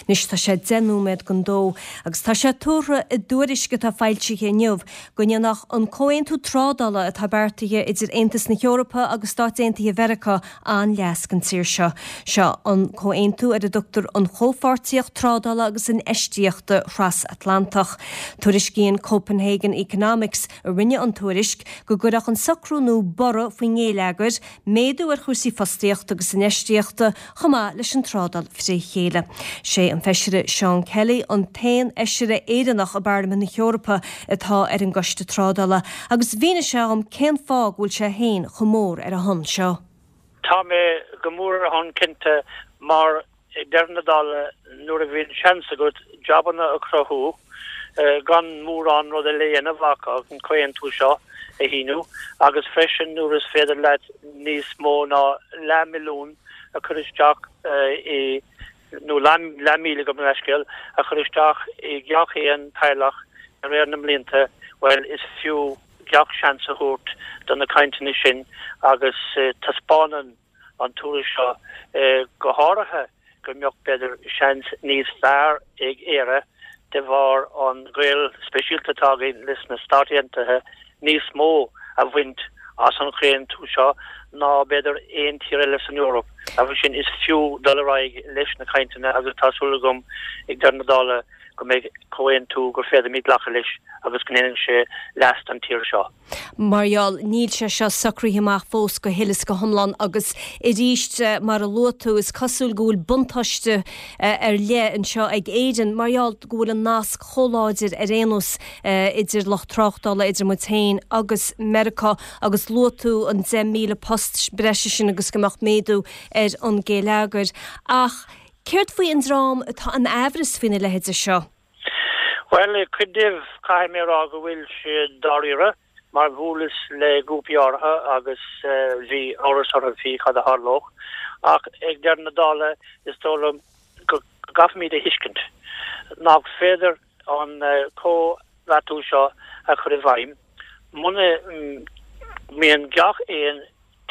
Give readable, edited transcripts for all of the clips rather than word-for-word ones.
Anois tá sé 10 nóiméad don dó agus tá sé tuartha i dtuairisc atá foilsithe inniu go ndéanfadh an comhaontú trádála atá beartaithe idir Aontas na hEorpa agus Stáit Aontaithe Mheiriceá an-leas don tír seo. Seo an comhaontú ar a dtugtar an Chomhpháirtíocht Trádála agus Infheistíochta Thras-Atlantach. Tuairiscíonn Copenhagen Economics, a rinne an tuairisc, go gcuirfeadh an socrú nua borradh faoin ngéilleagar, méadú ar chúrsaí fostaíochta agus infheistíochta, chomh maith leis an trádáil fré chéile. Sé an Feisire Seán Kelly an t-aon Fheisire Éireannach i bParlaimint na hEorpa atá ar an gCoiste Trádála agus mhínigh sé dhom cén fáth go bhfuil sé féin chomh mór ar a shon seo. Tá mé go mór ar a shon cinnte mar Ag deireadh na dála, nuair a bhíonn seans agat jabanna a chruthú gan mórán rud eile a dhéanamh ach an comhaontú seo a shíniú, agus freisin nuair is féidir leat níos mó ná leathmhilliún a chur isteach i, nó leathmhíle gabh mo leithscéal, a chur isteach i gach aon teaghlach de réir na mblianta, bhuel, is fiú gach seans a thabhairt do na cainteanna sin agus taispeánann an tuairisc seo, go háirithe go mbeadh, b'fhéidir, seans níos fearr ag Éire de bharr an gaol speisialta atá againn leis na Stáit Aontaithe níos mó a bhaint as an chomhaontú seo ná b'fhéidir aon tír eile san Eoraip. Agus sin, is fiú dul ar aghaidh leis na cainteanna agus tá súil agam ag deireadh na dála go mbeidh comhaontú gur féidir glacadh leis agus go ndéanfaidh sé leas don tír seo. Mar gheall, níl sé seo socraithe amach fós go huile is go hiomlán agus arís, mar a luaigh tú, is cosúil go bhfuil buntáiste ar leith anseo ag Éirinn mar gheall go bhfuil an nasc chomh láidir ar aon nós idir lucht tráchtála, idir muid féin agus Meiriceá agus luaigh tú an 10,000 post breise sin agus go mbeadh méadú ar an ghéilleagar. Ach céard faoi an dream atá in aimhreas faoina leithéide seo? Bhuel, cuid díobh, caithfidh mé a rá go bhfuil siad dáiríre, mar bhuaileas le grúpaí áirithe agus bhí amhras orthu faoi cad a tharlódh. Ach ag deireadh na dála, is dóigh liom go gcaithfimid a thuiscint nach féidir an comhbheartú seo a chur i bhfeidhm muna mbíonn gach aon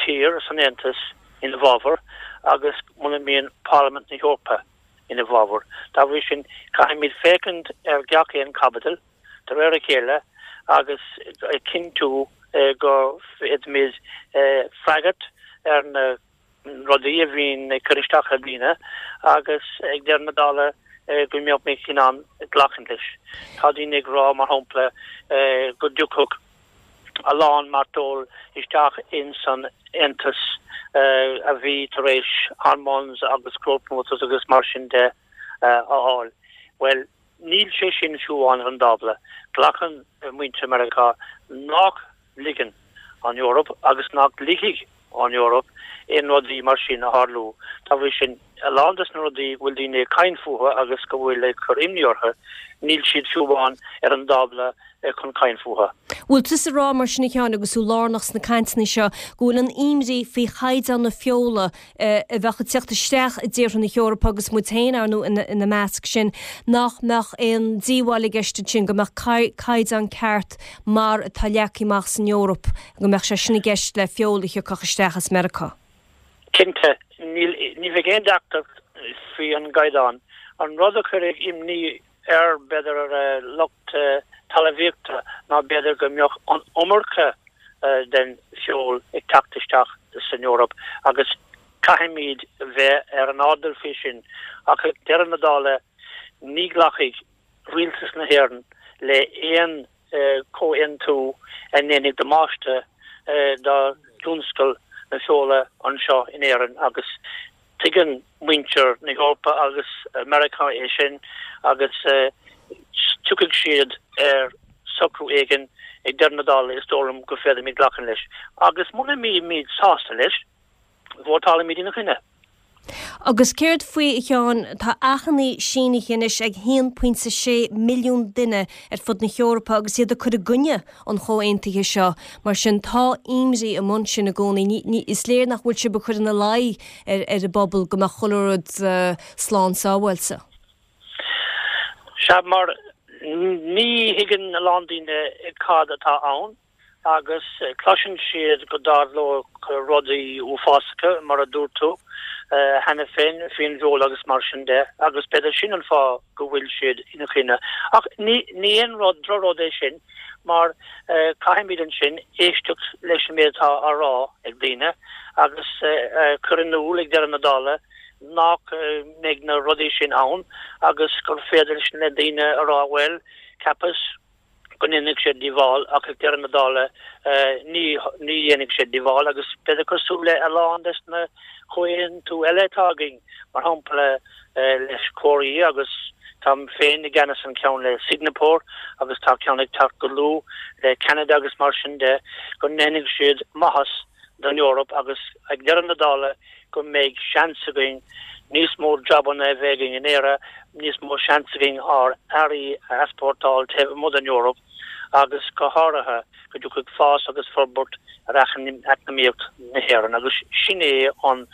tír san Aontas ina bhfabhar agus muna mbíonn Parlaimint na hEorpa ina bhfabhar. Dá bhrí sin, caithfimid féachaint ar gach aon chaibidil de réir a chéile agus cinntiú go bhféadfaimid freagairt ar na rudaí a bhíonn ag cur isteach ar dhaoine agus ag deireadh na dála go mbeimid in ann glacadh leis. Tá daoine ag rá, mar shampla, go dtiocfadh a lán mairteoil isteach ins an Aontas a bhí tar éis hormones agus growth promoters agus mar sin de a fháil. Bhuel, níl sé sin fiú amháin ar an dtábla. Glacann muintir Meiriceá nach ligeann an Eoraip agus nach ligfidh an Eoraip aon rudaí mar sin a tharlú. Dá bhrí sin, a lán des na rudaí go bhfuil daoine ag caint fúthu agus go bhfuil ag cur imní orthu, níl siad fiú amháin ar an dtábla chun caint fúthu. Bhfuil tusa ag rá mar sin a Sheáin, agus tú lárnach sna cainteanna seo, go bhfuil an imní faoi chaighdeán na feola a bheadh ag teacht isteach i dtíortha na hEorpa, agus muid féin, ar ndóigh, ina measc sin, nach mbeadh aon díobháil i gceist ansin, go mbeadh caighdeán ceart mar atá leagtha amach san Eoraip, go mbeadh sé sin i gceist le feoil a thiocfadh isteach as Meiriceá? Cinnte, níl, ní bheidh aon deacracht faoi an gcaighdeán. An rud a chuirfidh imní ar, b'fhéidir, ar lucht talmhaíochta ná b'fhéidir go mbeadh an iomarca den feoil ag teacht isteach san Eoraip agus caithfimid bheith ar an airdeall faoi sin. Ach ag deireadh na dála, ní ghlacfaidh Rialtas na hÉireann le aon comhaontú a ndéanfaidh damáiste do thionscal na feola anseo in Éirinn agus tuigeann muintir na hEorpa agus Meiriceá é sin agus tiocfaidh siad ar socrú éigin ag deireadh na dála is dóigh liom go féadfaimid glacadh leis. Agus muna mbímid sásta leis, vótálfaimid ina choinne. Agus céard faoi, a Sheáin, tá achainí sínithe anois ag 1.6 milliún duine ar fud na hEorpa agus iad ag cur i gcoinne an chomhaontaithe seo. Mar sin, tá imní amuigh ansin i gcónaí. Ní, is léir nach bhfuil sibh ag cur ina luí ar ar an bpobal go mbeadh chuile rud slán sábháilte. Sea, mar ní thuigeann a lán daoine cad atá ann. Agus cloiseann siad go dtarlódh rudaí uafásacha, mar a dúirt tú cheana féin, faoin bhfeoil agus mar sin de, agus b'fhéidir sin an fáth go bhfuil siad ina choinne. Ach ní aon rud, drochrud é sin, mar caithfimid ansin éisteacht leis an méid atá á rá ag daoine agus cur in iúl ag deireadh na dála nach mbeidh na rudaí sin ann agus gur féidir leis na daoine a rá, bhuel, cheapas go ndéanfaidh sé díobháil ach ag deireadh na dála ní ní dhéanfaidh sé díobháil agus b'fhéidir cosúil le a lán des na comhaontú eile atá againn, mar shampla leis Cóiré agus táim féin i gceannas an ceann le Singapore agus tá ceann ag teacht go luath le Ceanada agus mar sin de, go ndéanfaidh siad maitheas don Eoraip agus ag deireadh na dála go mbeidh seans againn níos mó jabanna a bheith againn in Éire, níos mó seans againn ár earraí a easpórtáil taobh amuigh den Eoraip agus go háirithe go dtiocfaidh fás agus forbairt ar eacnamaíocht na hÉireann agus sin é an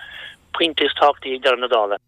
pointe is tábhachtaí ag deireadh na dála.